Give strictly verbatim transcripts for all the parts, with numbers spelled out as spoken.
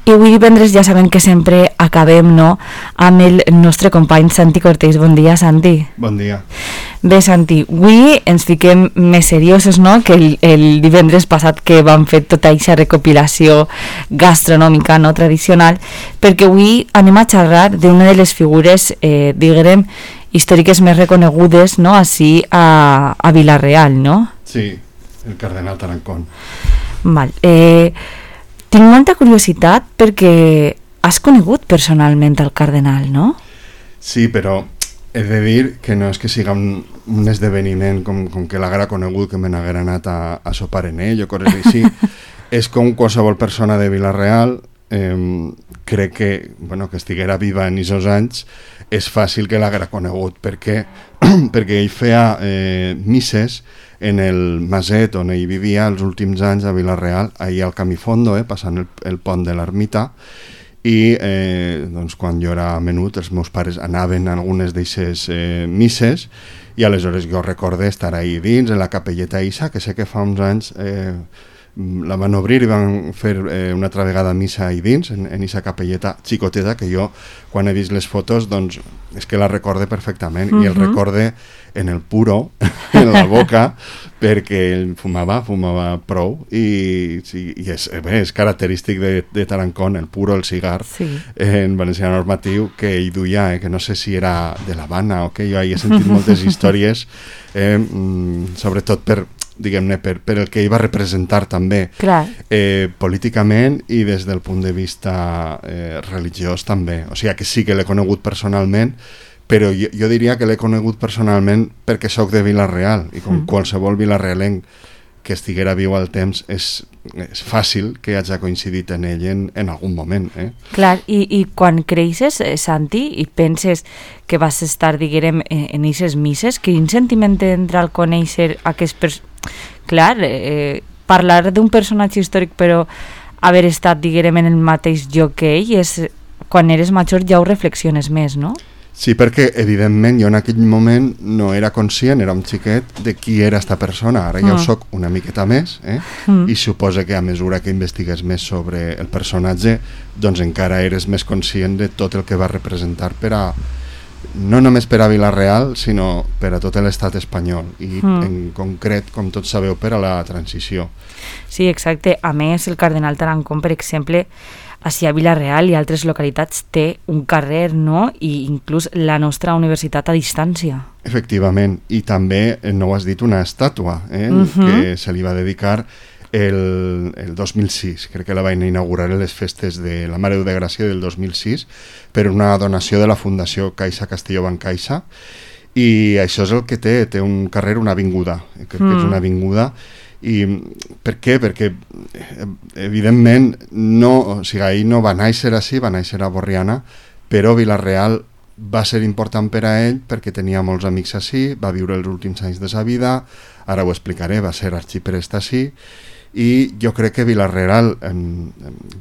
I avui divendres ja sabem que sempre acabem, no?, amb el nostre company Santi Cortés. Bon dia, Santi. Bon dia. Bé, Santi, avui ens fiquem més seriosos, no?, que el, el divendres passat que vam fer tota aquesta recopilació gastronòmica, no?, tradicional, perquè avui anem a xerrar d'una de les figures, eh, diguem, històriques més reconegudes, no?, així a, a Vila-real, no? Sí, el cardenal Tarancón. Val. Eh... Tinc molta curiositat perquè has conegut personalment el cardenal, no? Sí, però he de dir que no és que siga un, un esdeveniment com, com que l'haguera conegut, que me n'haguera anat a, a sopar en ell o coses així. És com qualsevol persona de Vila-real, eh, crec que, bueno, que estiguera viva en aquests anys, és fàcil que l'haguera conegut, perquè, perquè ell feia eh, misses en el maset on ell vivia els últims anys a Vila-real, ahir al Camifondo, eh, passant el, el pont de l'Ermita, i eh, doncs, quan jo era menut els meus pares anaven a algunes d'aquestes eh, misses, i aleshores jo recorde estar ahí dins, en la capelleta Isa, que sé que fa uns anys eh, la van obrir i van fer eh, una altra vegada missa ahí dins, en aquesta capelleta xicoteta, que jo quan he vist les fotos doncs és que la recorde perfectament, uh-huh. i el recorde en el puro, en la boca, perquè ell fumava, fumava prou, i, sí, i és, bé, és característic de, de Tarancón, el puro, el cigar, sí. En valencià normatiu, que ell duia, eh, que no sé si era de l'Havana o què, jo he sentit moltes històries, eh, sobretot per diguem-ne, per, per el que ell va representar també eh, políticament i des del punt de vista eh, religiós també, o sigui que sí que l'he conegut personalment, però jo, jo diria que l'he conegut personalment perquè sóc de Vila-real i com mm. qualsevol vilarealenc que estiguera viu al temps és, és fàcil que hagi coincidit en ell en, en algun moment. Eh? Clar, i, i quan creixes, eh, Santi, i penses que vas estar, diguem, en aquestes misses, quin sentiment entra al conèixer aquest... Pers- Clar, eh, parlar d'un personatge històric però haver estat, diguem, en el mateix lloc que ell, és, quan eres major ja ho reflexiones més, no? Sí, perquè evidentment jo en aquell moment no era conscient, era un xiquet de qui era esta persona, ara ja mm. ho soc una miqueta més, eh? mm. i suposa que a mesura que investigues més sobre el personatge, doncs encara eres més conscient de tot el que va representar per a, no només per a Vila-real, sinó per a tot l'estat espanyol, i mm. en concret, com tots sabeu, per a la transició. Sí, exacte. A més, el cardenal Tarancón, per exemple, així a Vila-real i altres localitats té un carrer, no?, i inclús la nostra universitat a distància. Efectivament, i també, no ho has dit, una estàtua eh, uh-huh. que se li va dedicar el, el dos mil sis, crec que la van inaugurar en les festes de la Mare de Gràcia del dos mil sis per una donació de la Fundació Caixa Castelló Bancaixa, i això és el que té, té un carrer, una avinguda, crec mm. que és una avinguda. I per què? Perquè evidentment no, o sigui, ahir no va néixer així, va néixer a Borriana, però Vila-real va ser important per a ell perquè tenia molts amics així, va viure els últims anys de sa vida, ara ho explicaré, va ser arxiprest així, i jo crec que Vila-real, en,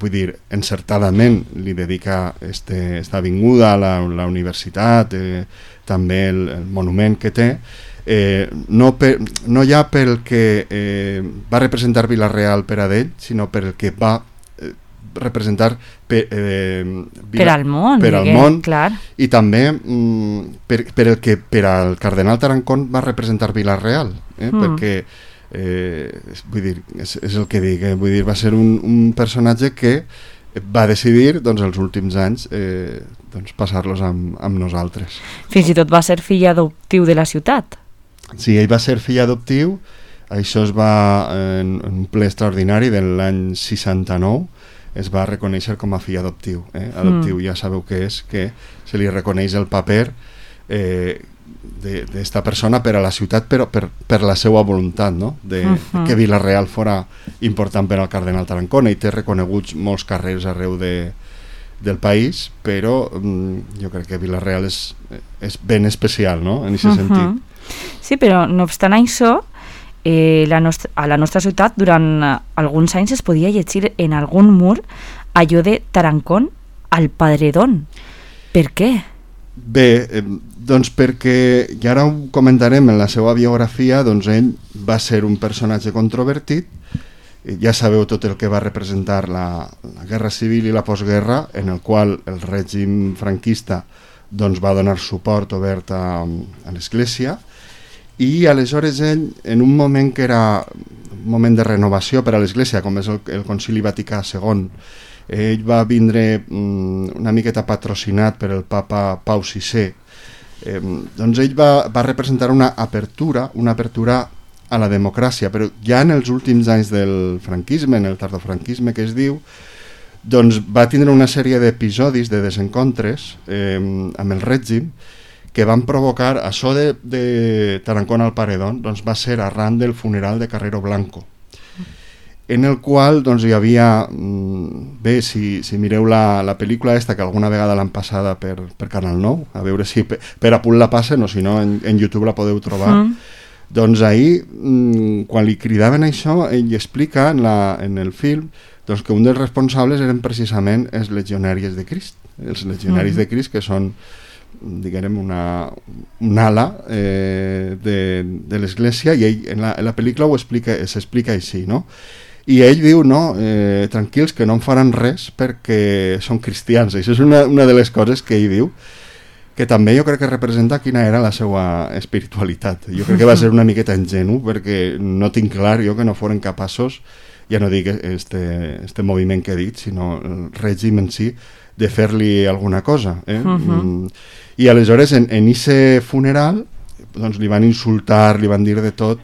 vull dir, encertadament li dedica este, esta avinguda a la, la universitat, eh, també el, el monument que té, Eh, no, per, no ja pel que eh, va representar Vila-real per a d'ell, sinó per el que va eh, representar per, eh, Vila, per al món, per al món clar. I també mm, per, per el que per al cardenal Tarancón va representar Vila-real, eh, mm. perquè eh, vull dir, és, és el que dic, eh, vull dir, va ser un, un personatge que va decidir doncs, els últims anys eh, doncs, passar-los amb, amb nosaltres. Fins i tot va ser fill adoptiu de la ciutat. Sí, ell va ser fill adoptiu, això es va, en, en un ple extraordinari de l'any seixanta-nou, es va reconèixer com a fill adoptiu. Eh? Adoptiu mm. ja sabeu què és, que se li reconeix el paper eh, d'esta persona per a la ciutat, però per, per la seva voluntat, no? de, uh-huh. de que Vila-real fora important per al cardenal Tarancón. Ell té reconeguts molts carrers arreu de, del país, però mm, jo crec que Vila-real és, és ben especial, no? En aquest uh-huh. sentit. Sí, però no obstant això, eh, la nostra, a la nostra ciutat durant eh, alguns anys es podia llegir en algun mur allò de Tarancón al Padredón. Per què? Bé, eh, doncs perquè, i ara ho comentarem en la seva biografia, doncs ell va ser un personatge controvertit ja sabeu tot el que va representar la, la Guerra Civil i la postguerra, en el qual el règim franquista doncs, va donar suport obert a, a l'Església, i aleshores ell, en un moment que era un moment de renovació per a l'Església, com és el, el Concili Vaticà segon, ell va vindre mm, una miqueta patrocinat per el papa Pau sisè, eh, doncs ell va, va representar una apertura, una apertura a la democràcia, però ja en els últims anys del franquisme, en el tardofranquisme que es diu, doncs va tindre una sèrie d'episodis, de desencontres eh, amb el règim, que van provocar això de, de Tarancón al Paredón, doncs va ser arran del funeral de Carrero Blanco, en el qual doncs, hi havia, bé, si, si mireu la, la pel·lícula esta, que alguna vegada l'han passada per, per Canal nou, a veure si per, per a punt la passen o si no en, en YouTube la podeu trobar, mm. doncs ahir, quan li cridaven això, ell explica en, la, en el film doncs, que un dels responsables eren precisament els legionaris de Crist, els legionaris mm. de Crist, que són, diguem, una, una ala eh, de, de l'Església, i ell en la, en la pel·lícula ho explica, s'explica així, no? I ell diu, no, eh, tranquils, que no em faran res perquè són cristians. Això és una, una de les coses que ell diu, que també jo crec que representa quina era la seva espiritualitat. Jo crec que va ser una miqueta ingenu, perquè no tinc clar jo que no foren capaços, ja no dic este, este moviment que he dit, sinó el règim en si, de fer-li alguna cosa. Eh? Uh-huh. I aleshores en, en ese funeral doncs, li van insultar, li van dir de tot,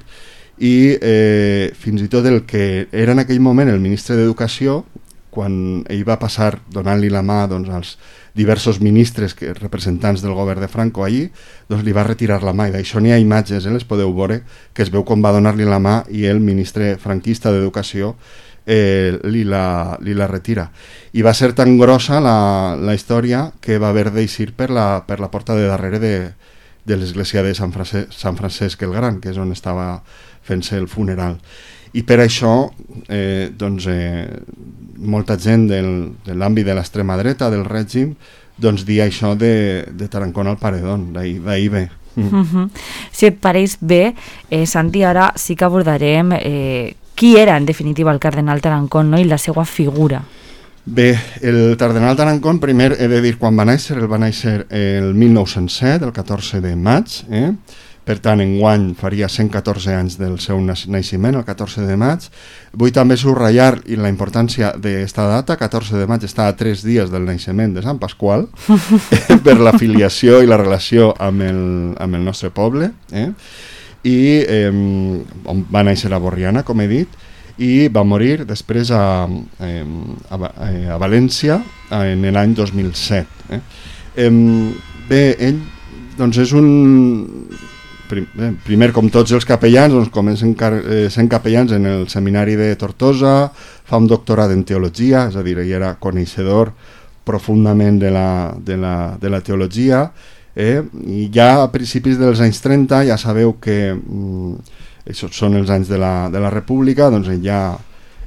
i eh, fins i tot el que era en aquell moment el ministre d'Educació, quan ell va passar donant-li la mà doncs, als diversos ministres, que, representants del govern de Franco allí, doncs li va retirar la mà, i d'això n'hi ha imatges, eh, les podeu veure, que es veu com va donar-li la mà i el ministre franquista d'Educació eh, li, la, li la retira. I va ser tan grossa la, la història que va haver d'eixir per la, per la porta de darrere de, de l'església de Sant Francesc, Sant Francesc el Gran, que és on estava fent-se el funeral. I per això eh, doncs, eh, molta gent del, de l'àmbit de l'extrema dreta del règim doncs dir això de, de Tarancón al Paredón, d'ahir ve. Mm. Uh-huh. Si et pareix bé, eh, Santi, ara sí que abordarem eh, qui era en definitiva el cardenal Tarancón, no? I la seva figura. Bé, el cardenal Tarancón, primer he de dir quan va néixer, el va néixer el mil nou-cents set, el catorze de maig, eh? Per tant, enguany faria cent catorze anys del seu naixement, el catorze de maig. Vull també subratllar la importància d'aquesta data, catorze de maig està a tres dies del naixement de Sant Pasqual, per la filiació i la relació amb el, amb el nostre poble. Eh? I eh, va néixer a Borriana, com he dit, i va morir després a, eh, a, a València en l'any dos mil set. Eh? Eh, bé, ell doncs és un... Primer, com tots els capellans, doncs comencen sent capellans en el seminari de Tortosa, fa un doctorat en teologia, és a dir, ell era coneixedor profundament de la, de la, de la teologia, eh? I ja a principis dels anys trenta ja sabeu que mm, això són els anys de la, de la República, doncs ell ja,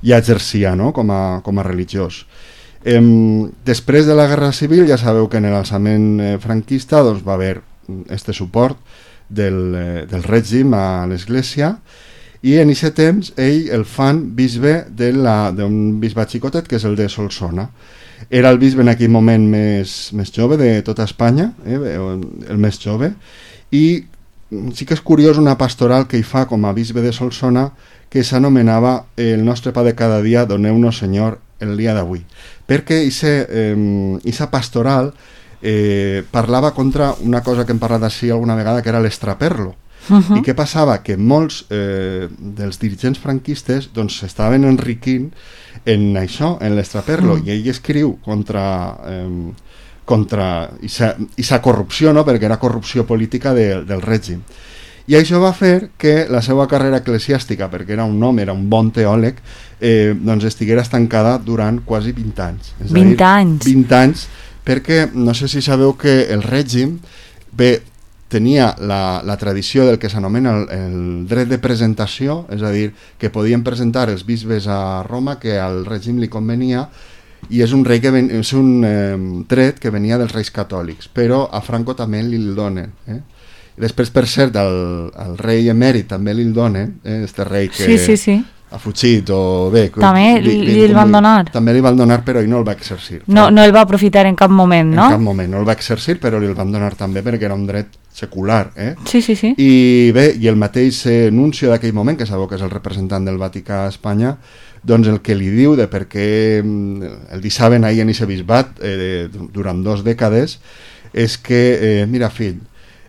ja exercia, no? com, a, com a religiós. Eh, després de la Guerra Civil ja sabeu que en l'alçament eh, franquista doncs, va haver este suport Del, eh, del règim a l'Església, i en aquest temps ell el fan bisbe d'un bisbat xicotet que és el de Solsona. Era el bisbe en aquell moment més, més jove de tota Espanya, eh, el més jove, i sí que és curiós una pastoral que hi fa com a bisbe de Solsona que s'anomenava El nostre pa de cada dia, doneu-nos Senyor el dia d'avui, perquè aquesta eh, pastoral Eh, parlava contra una cosa que hem parlat així alguna vegada, que era l'estraperlo. Uh-huh. I què passava? Que molts eh, dels dirigents franquistes doncs s'estaven enriquint en això, en l'estraperlo, uh-huh. i ell escriu contra eh, contra aquesta corrupció, no? Perquè era corrupció política de, del règim. I això va fer que la seva carrera eclesiàstica, perquè era un home, era un bon teòleg, eh, doncs estiguera estancada durant quasi vint anys. És vint a dir, anys. vint anys, perquè no sé si sabeu que el règim bé, tenia la, la tradició del que s'anomena el, el dret de presentació, és a dir, que podien presentar els bisbes a Roma que al règim li convenia, i és un, rei que ven, és un eh, dret que venia dels reis catòlics, però a Franco també li el donen. Eh? Després, per cert, el, el rei emèrit també li el donen, eh? Este rei que... Sí, sí, sí. ha fugit o bé... També li, li, li el van donar? També li van donar, però ell no el va exercir. No, no el va aprofitar en cap moment, no? En cap moment, no el va exercir, però li el van donar també perquè era un dret secular. Eh? Sí, sí, sí. I bé, i el mateix nuncio d'aquell moment, que sabeu que és el representant del Vaticà a Espanya, doncs el que li diu de per què el deixaven ahir en aquest bisbat eh, durant dos dècades és que, eh, mira fill,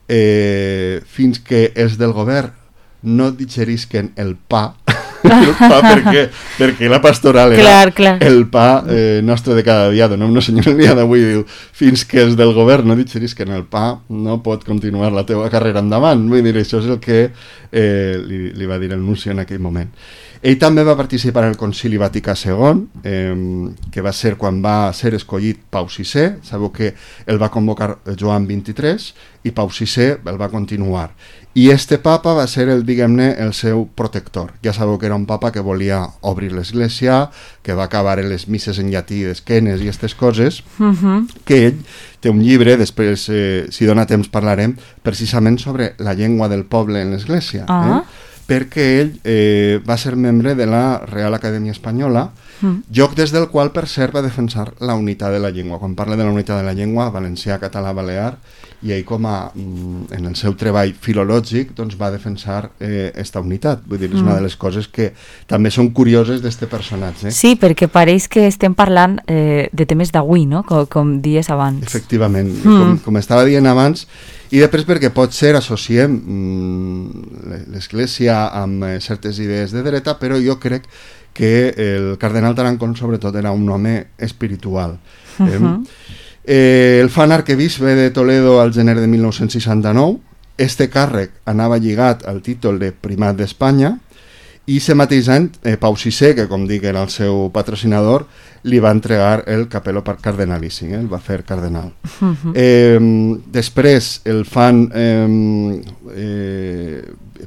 eh, fins que els del govern no digerisquen el pa, el pa perquè, perquè la pastoral era clar, clar. el pa eh, nostre de cada dia. Donem una senyora el dia d'avui, diu, fins que els del govern no digerisquen el pa no pot continuar la teva carrera endavant. Vull dir, això és el que eh, li, li va dir el nunci en aquell moment. Ell també va participar en el Concili Vaticà segon, eh, que va ser quan va ser escollit Pau sisè. Sabeu que el va convocar Joan vint-i-tres i Pau sisè el va continuar. I este papa va ser el, diguem-ne, el seu protector. Ja sabeu que era un papa que volia obrir l'església, que va acabar les misses en llatí d'esquenes i aquestes coses, uh-huh. que ell té un llibre, després, eh, si dona temps parlarem, precisament sobre la llengua del poble en l'església. Uh-huh. Eh? Perquè ell eh, va ser membre de la Real Acadèmia Espanyola, mm. lloc des del qual, per cert, va defensar la unitat de la llengua. Quan parla de la unitat de la llengua, valencià, català, balear, i ell, com a, en el seu treball filològic, doncs, va defensar eh, esta unitat. Vull dir, és mm. una de les coses que també són curioses d'este personatge. Sí, perquè pareix que estem parlant eh, de temes d'avui, no? Com, com dies abans. Efectivament, mm. com, com estava dient abans, i després perquè pot ser associem mm, l'església amb eh, certes idees de dreta, però jo crec que el cardenal Tarancón sobretot era un home espiritual. Uh-huh. eh? Eh, el fan arquebisbe de Toledo al gener de mil nou-cents seixanta-nou. Este càrrec anava lligat al títol de primat d'Espanya, i aquest mateix any eh, Pau sisè, que com dic era el seu patrocinador, li va entregar el capello cardenalici, eh? El va fer cardenal. Uh-huh. eh, després el fan eh, eh,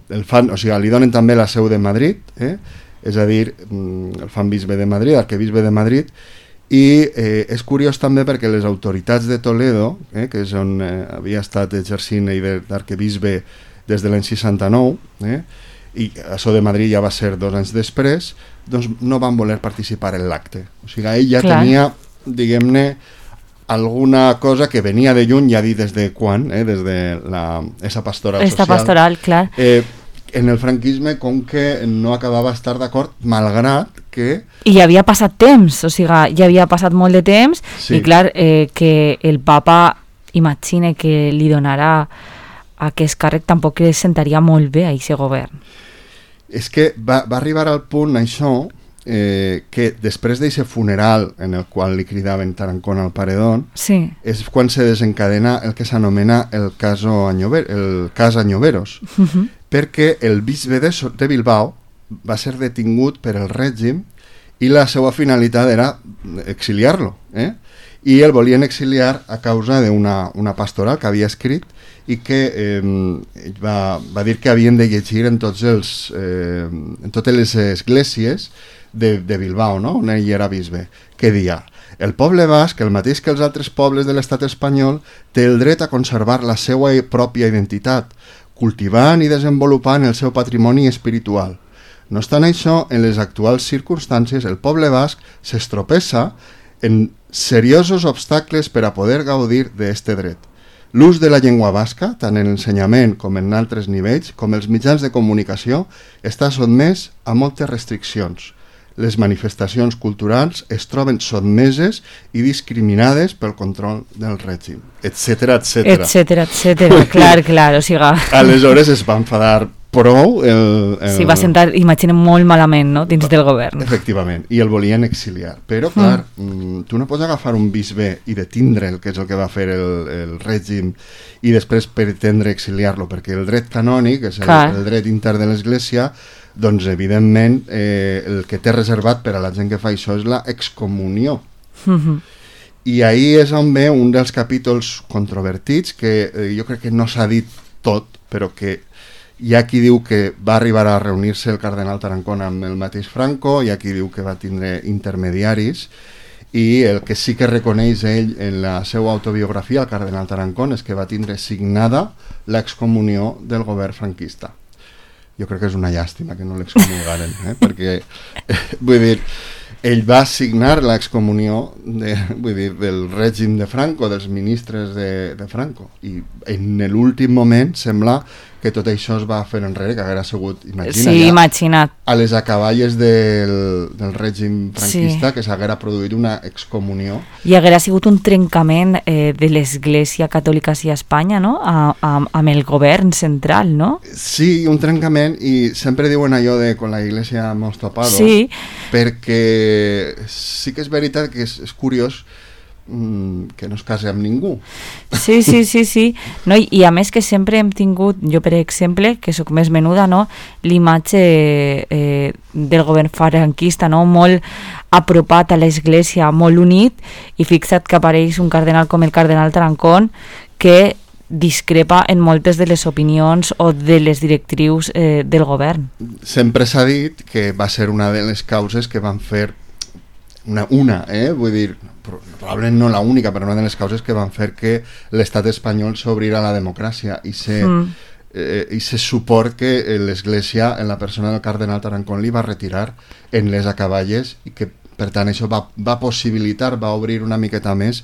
el fan, o sigui, li donen també la seu de Madrid, eh? És a dir, el fan bisbe de Madrid, arquebisbe de Madrid, i eh, és curiós també perquè les autoritats de Toledo, eh, que és on eh, havia estat exercint d'arquebisbe des de l'any seixanta-nou, eh, i això de Madrid ja va ser dos anys després, doncs no van voler participar en l'acte. O sigui, ell ja Clar. tenia, diguem-ne, alguna cosa que venia de lluny, ja dir des de quan, eh, des de la, esa pastoral Esta social. pastoral, clar. Eh, en el franquisme, com que no acabava d'estar d'acord, malgrat que... I ja havia passat temps, o sigui, ja havia passat molt de temps, sí. i clar, eh, que el papa imagine que li donarà aquest càrrec tampoc li sentaria molt bé a aquest govern. És que va, va arribar al punt, això, eh, que després d'aquest funeral en el qual li cridaven Tarancón al paredón, sí. és quan se desencadena el que s'anomena el, caso Añover, el cas Añoveros, uh-huh. perquè el bisbe de, de Bilbao va ser detingut per el règim i la seva finalitat era exiliar-lo, eh? i el volien exiliar a causa d'una una pastoral que havia escrit i que eh, va, va dir que havien de llegir en, tots els, eh, en totes les esglésies de, de Bilbao, no? On ell era bisbe, que dia el poble basc, el mateix que els altres pobles de l'estat espanyol, té el dret a conservar la seva pròpia identitat, cultivant i desenvolupant el seu patrimoni espiritual. No obstant això, en les actuals circumstàncies, el poble basc s'estropessa en seriosos obstacles per a poder gaudir d'aquest dret. L'ús de la llengua basca, tant en l'ensenyament com en altres nivells, com els mitjans de comunicació, està sotmès a moltes restriccions. Les manifestacions culturals es troben sotmeses i discriminades pel control del règim, etcètera, etcètera. Etcètera, etcètera, clar, clar, o sigui... Aleshores es va enfadar prou el... el... Sí, va sentar, imaginem, molt malament, no?, dins del govern. Efectivament, i el volien exiliar. Però, clar, mm. tu no pots agafar un bisbe i detindre'l, que és el que va fer el, el règim, i després pretendre exiliar-lo, perquè el dret canònic, és el, el dret intern de l'Església, doncs, evidentment, eh, el que té reservat per a la gent que fa això és la excomunió. Mm-hmm. I ahí és on ve un dels capítols controvertits, que eh, jo crec que no s'ha dit tot, però que hi ha qui diu que va arribar a reunir-se el cardenal Tarancón amb el mateix Franco, hi ha qui diu que va tindre intermediaris, i el que sí que reconeix ell en la seva autobiografia, el cardenal Tarancón, és que va tindre signada l'excomunió del govern franquista. jo crec que és una llàstima que no l'excomulgaren, eh? Perquè, eh, vull dir, ell va signar l'excomunió de, vull dir, del règim de Franco, dels ministres de, de Franco, i en l'últim moment sembla que tot això es va fer enrere, que haguera sigut, imagina, sí, ja, imagina't. a les acaballes del, del règim franquista, sí, que s'haguera produït una excomunió. I haguera sigut un trencament eh, de l'Església Catòlica a Espanya, no?, a, a, amb el govern central, no? Sí, un trencament, i sempre diuen allò de con la iglesia hemos topado, sí, perquè sí que és veritat que és, és curiós que no es case amb ningú. Sí, sí, sí, sí. No, i, i a més que sempre hem tingut, jo per exemple, que sóc més menuda, no, l'imatge eh, del govern franquista, no, molt apropat a l'església, molt unit, i fixa't que apareix un cardenal com el cardenal Tarancón, que discrepa en moltes de les opinions o de les directrius eh, del govern. Sempre s'ha dit que va ser una de les causes que van fer una, una eh? vull dir, probablement no la única, però una de les causes que van fer que l'estat espanyol s'obrira a la democràcia i se, mm. eh, i se suport que l'Església, en la persona del cardenal Tarancón, li va retirar en les acaballes, i que per tant això va, va possibilitar, va obrir una miqueta més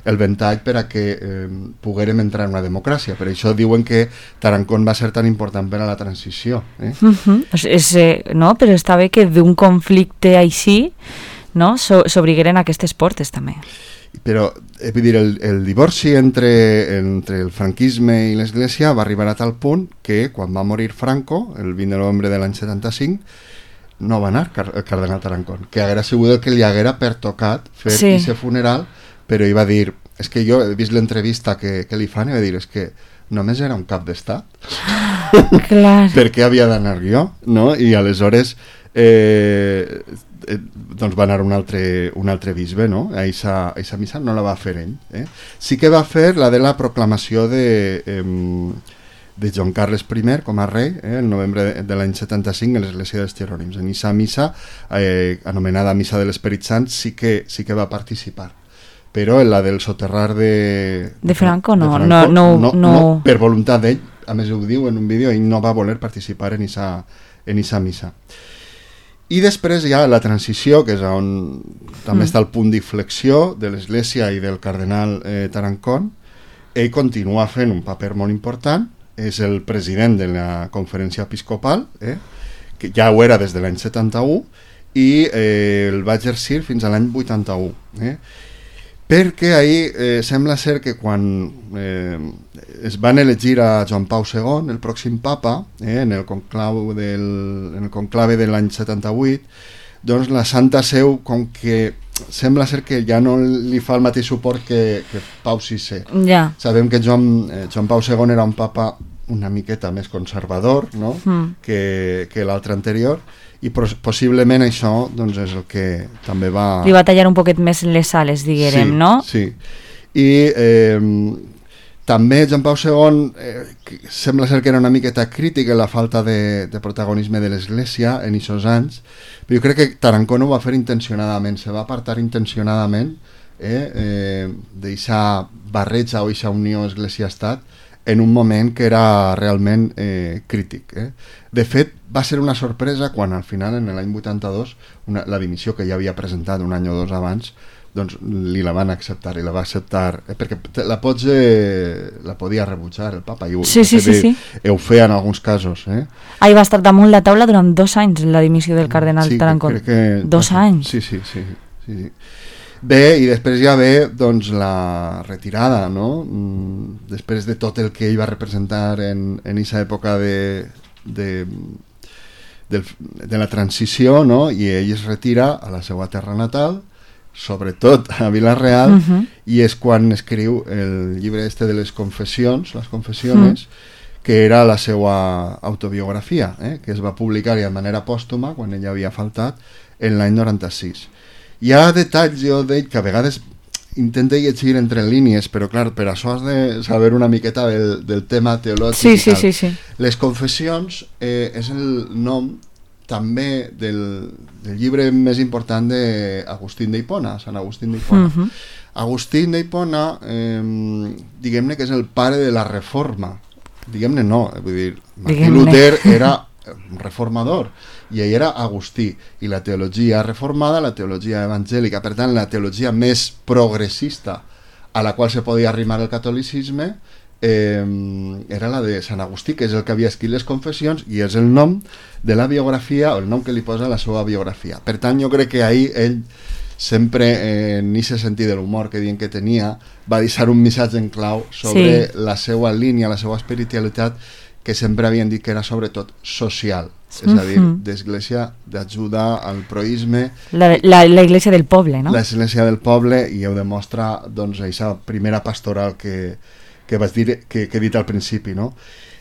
el ventall per a que eh, poguérem entrar en una democràcia. Per això diuen que Tarancón va ser tan important per a la transició. Eh? Uh-huh. és, eh, no? Però està bé que d'un conflicte així, no, s'obrigueren aquestes portes també. Però, eh, vull dir, el, el divorci entre, entre el franquisme i l'Església va arribar a tal punt que quan va morir Franco, el vint de novembre de l'any setanta-cinc, no va anar el cardenal Tarancón, que haguera sigut el que li haguera pertocat fer sí. ese funeral, però ell va dir, és que jo he vist l'entrevista que, que li fan i va dir, és que només era un cap d'estat. Clar. Per què havia d'anar jo? No? I aleshores eh, eh, doncs va anar un altre, un altre bisbe, no? A eixa, a eixa missa no la va fer ell. Eh? Sí que va fer la de la proclamació de, eh, de Joan Carles I com a rei, eh, el novembre de, de l'any setanta-cinc, a l'església dels Jerònims. En eixa missa, eh, anomenada Missa de l'Esperit Sant, sí que, sí que va participar. Però en la del soterrar de... De Franco, no, de Franco, no, no, no, no, no, per voluntat d'ell, a més ho diu en un vídeo, ell no va voler participar en eixa, en eixa missa. I després hi ha la transició, que és on també mm. està el punt d'inflexió de l'Església i del cardenal eh, Tarancón. Ell continua fent un paper molt important, és el president de la conferència episcopal, eh, que ja ho era des de l'any setanta-u, i eh, el va exercir fins a l'any vuitanta-u. Eh? Perquè ahir eh, sembla ser que quan eh, es van elegir a Joan Pau segon, el pròxim papa, eh, en el conclave del, en el conclave de l'any setanta-vuit, doncs la Santa Seu, com que sembla ser que ja no li fa el mateix suport que, que Pau sisè. Ja. Sabem que Joan, eh, Joan Pau segon era un papa una miqueta més conservador, no? mm. que, que l'altre anterior, i possiblement això doncs, és el que també va... Li va tallar un poquet més les ales, diguérem, sí, no? Sí, i eh, també Joan Pau segon eh, sembla ser que era una miqueta crític en la falta de, de protagonisme de l'Església en aquests anys, però jo crec que Tarancón ho va fer intencionadament, se va apartar intencionadament eh, eh, d'eixa barreja o eixa unió Església-Estat en un moment que era realment eh, crític. Eh? De fet, va ser una sorpresa quan al final, en l'any vuitanta-dos, una, la dimissió que ja havia presentat un any o dos abans, doncs li la van acceptar, i la va acceptar, eh, perquè la pots, eh, la podia rebutjar el papa, i ho, sí, sí, sí, sí. ho feia en alguns casos. Eh? Ahí va estar damunt la taula durant dos anys la dimissió del cardenal sí, Tarancón. Que, dos anys. Sí, sí, sí. sí, sí. Bé, i després ja ve doncs, la retirada, no? Després de tot el que ell va representar en aquesta època de, de, de, de la transició, no? I ell es retira a la seva terra natal, sobretot a Vila-real, uh-huh. i és quan escriu el llibre este de les confessions, les confessiones, uh-huh. que era la seva autobiografia, eh? que es va publicar de manera pòstuma, quan ell havia faltat, en l'any noranta-sis. Hi ha detalls, jo d'ell, que a vegades intenta llegir entre línies, però clar, per això has de saber una miqueta del, del tema teològic sí, i tal. Sí, sí, sí. Les confessions eh, és el nom també del, del llibre més important d'Agustín d'Hipona, Sant Agustín d'Hipona. Uh-huh. Agustín d'Hipona, eh, diguem-ne que és el pare de la Reforma. Diguem-ne no, vull dir, Martí Luter era un reformador, i ell era Agustí, i la teologia reformada, la teologia evangèlica, per tant, la teologia més progressista a la qual se podia arrimar el catolicisme, eh, era la de Sant Agustí, que és el que havia escrit les confessions, i és el nom de la biografia, o el nom que li posa a la seva biografia. Per tant, jo crec que ahir ell sempre, eh, en aquest sentit de l'humor que diuen que tenia, va deixar un missatge en clau sobre sí. la seva línia, la seva espiritualitat, que sempre havien dit que era sobretot social, és a dir, d'església, d'ajuda al proisme. La, la, la iglesia del poble, no? L'església del poble, i ho demostra, doncs, aquesta primera pastoral que, que vaig dir, que, que he dit al principi, no?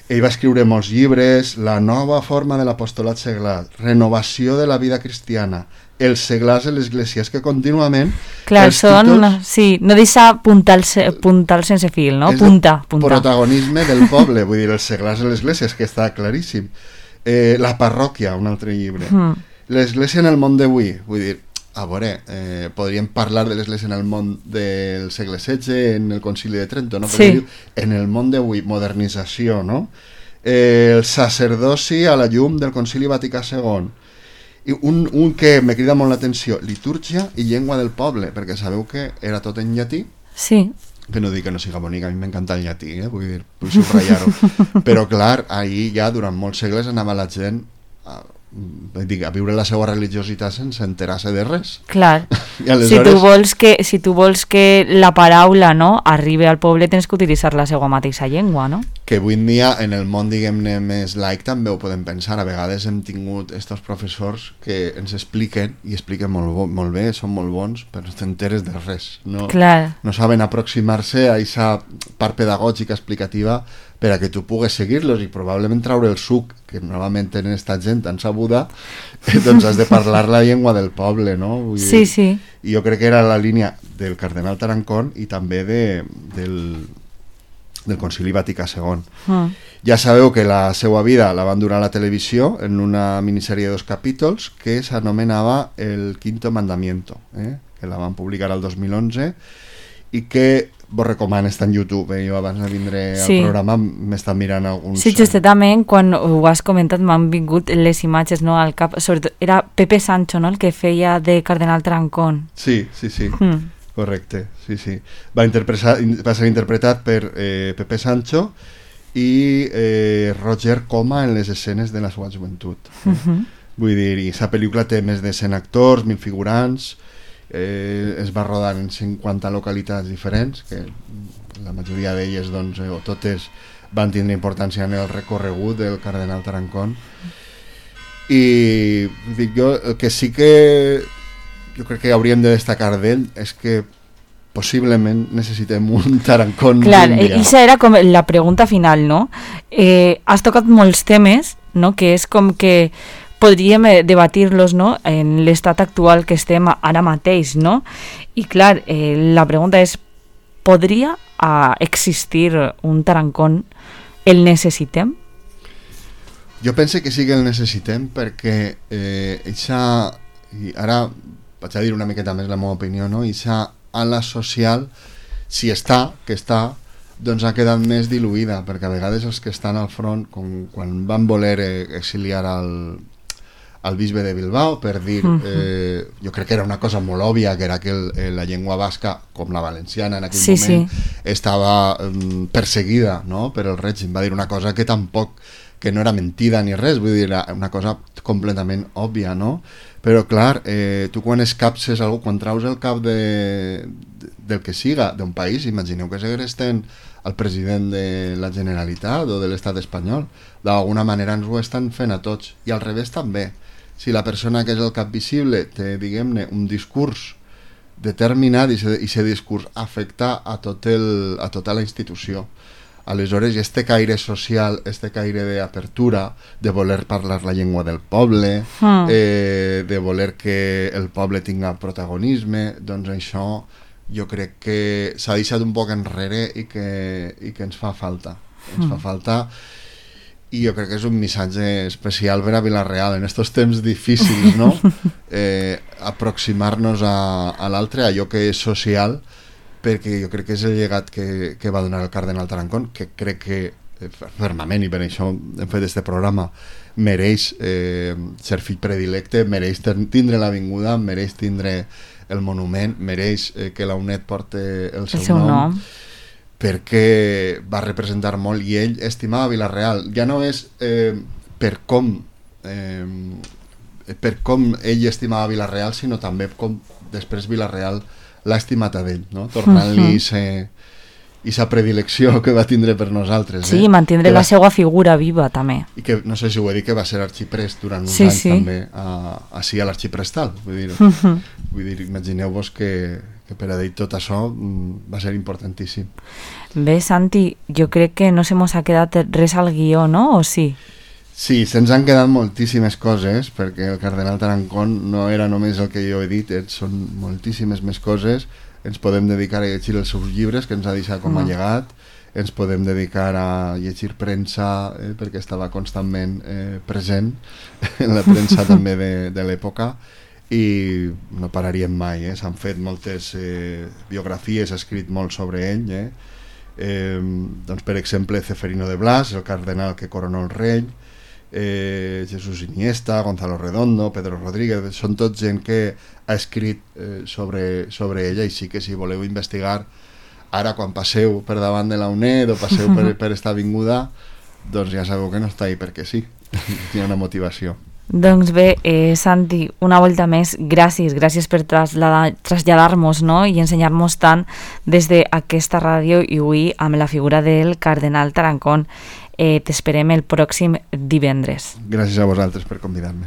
Ell va escriure molts llibres, La nova forma de l'apostolat seglar, Renovació de la vida cristiana, Els seglars de l'església, és que contínuament... Clar, són... Títols, sí, no deixa puntal, puntal sense fil, no? Punta, punta. Protagonisme del poble, vull dir, Els seglars de l'església, és que està claríssim. Eh, la parròquia, un altre llibre. Mm. L'església en el món d'avui, vull dir, a veure, eh, podríem parlar de l'església en el món del segle setze, en el concili de Trento, no? Sí. Diu, en el món d'avui, modernització, no? Eh, el sacerdoci a la llum del concili Vaticà segon. I un, un que me crida molt l'atenció, litúrgia i llengua del poble, perquè sabeu que era tot en llatí. Sí. Que no dic que no siga bonic, a mi m'encanta el llatí, eh? vull dir, vull subratllar-ho. Però clar, ahir ja durant molts segles anava la gent a, dic, a viure la seva religiositat sense enterar-se de res. Clar, aleshores... si, tu vols que, si tu vols que la paraula, no, arribi al poble tens que utilitzar la seva mateixa llengua, no? Que avui en dia en el món, diguem-ne, més laic també ho podem pensar. A vegades hem tingut estos professors que ens expliquen, i expliquen molt, bo, molt bé, són molt bons, però no t'enteres de res. No, Clar. no saben aproximar-se a aquesta part pedagògica explicativa per a que tu pugues seguir-los i probablement traure el suc que normalment tenen esta gent tan sabuda, eh, doncs has de parlar la llengua del poble, no? Vull sí, dir, sí. I jo crec que era la línia del cardenal Tarancón i també de, del, del concili Vaticà segon. Mm. Ja sabeu que la seva vida la van durar a la televisió en una minissèrie de dos capítols que s'anomenava El quinto mandamiento, eh? que la van publicar al dos mil onze i que vos recomano, està en YouTube, eh? Jo abans de vindre sí. al programa m'estan mirant alguns... Sí, justament quan ho has comentat m'han vingut les imatges, no, al cap, sobretot era Pepe Sancho, no, el que feia de cardenal Tarancón. Sí, sí, sí, mm. correcte, sí, sí. Va, interpretar, va ser interpretat per eh, Pepe Sancho i eh, Roger Coma en les escenes de la seva joventut. Eh? Mm-hmm. Vull dir, i sa pel·lícula té més de cent actors, mil figurants... Eh, es va rodar en cinquanta localitats diferents, que la majoria d'elles, doncs, eh, o totes van tindre importància en el recorregut del cardenal Tarancón. I dic jo, el que sí que jo crec que hauríem de destacar d'ell és que possiblement necessitem un Tarancón. Clar, i això era com la pregunta final, no? Eh, has tocat molts temes, no? Que és com que podríem debatir-los, no, en l'estat actual que estem ara mateix, no? I clar, eh, la pregunta és, podria uh, existir un Tarancón? El necessitem? Jo pense que sí que el necessitem perquè eh, eixa, i ara vaig a dir una miqueta més la meva opinió, no? Eixa ala social, si està, que està, doncs ha quedat més diluïda, perquè a vegades els que estan al front, com quan van voler eh, exiliar al al bisbe de Bilbao per dir, eh, jo crec que era una cosa molt òbvia, que era que el, eh, la llengua basca, com la valenciana en aquell sí, moment, sí. estava eh, perseguida, no?, per el règim. Va dir una cosa que tampoc, que no era mentida ni res, vull dir, era una cosa completament òbvia, no? Però clar, eh, tu quan escapses algú, quan traus el cap de, de, del que siga, d'un país, imagineu que segresten el president de la Generalitat o de l'estat espanyol, d'alguna manera ens ho estan fent a tots, i al revés també. Si la persona que és el cap visible té, diguem-ne, un discurs determinat i aquest discurs afecta a, tot el, a tota la institució. Aleshores, este caire social, este caire d'apertura, de voler parlar la llengua del poble, mm. eh, de voler que el poble tinga protagonisme, doncs això jo crec que s'ha deixat un poc enrere i que, i que ens fa falta. Ens mm. fa falta... I jo crec que és un missatge especial per a Vila-real en estos temps difícils, no? Eh, aproximar-nos a, a l'altre, a allò que és social, perquè jo crec que és el llegat que, que va donar el cardenal Tarancón, que crec que eh, fermament, i per això hem fet este programa, mereix eh, ser fill predilecte, mereix tindre l'avinguda, mereix tindre el monument, mereix eh, que la UNED porte el seu, el seu nom, nom, perquè va representar molt i ell estimava Vila-real. Ja no és eh, per com eh, per com ell estimava Vila-real, sinó també com després Vila-real l'ha estimat a ell, no? Tornant-li uh-huh. aquesta predilecció que va tindre per nosaltres. Sí, eh? mantindre va... la seva figura viva també. I que, no sé si ho he dit, que va ser arxiprest durant uns sí, anys sí. també a, així a l'arxiprestal. Vull dir, uh-huh. vull dir imagineu-vos que que per a ell tot això va ser importantíssim. Bé, Santi, jo crec que no se mos ha quedat res al guió, no? O sí? Sí, se'ns han quedat moltíssimes coses, perquè el cardenal Tarancón no era només el que jo he dit, eh, són moltíssimes més coses. Ens podem dedicar a llegir els seus llibres, que ens ha deixat com a llegat, ens podem dedicar a llegir premsa, eh, perquè estava constantment eh, present en la premsa també de, de l'època, i no pararíem mai, eh? S'han fet moltes eh, biografies, s'ha escrit molt sobre ell, eh? Eh, doncs per exemple Ceferino de Blas, el cardenal que coronó el rei, eh, Jesús Iniesta, Gonzalo Redondo, Pedro Rodríguez, són tots gent que ha escrit eh, sobre, sobre ella, i sí que si voleu investigar ara quan passeu per davant de la UNED o passeu per, per esta avinguda, doncs ja sabeu que no està ahí perquè sí, hi ha una motivació. Doncs bé, eh, Santi, una volta més, gràcies, gràcies per traslladar-nos, no? I ensenyar-nos tant des d'aquesta ràdio i avui amb la figura del cardenal Tarancón. Eh, t'esperem el pròxim divendres. Gràcies a vosaltres per convidar-me.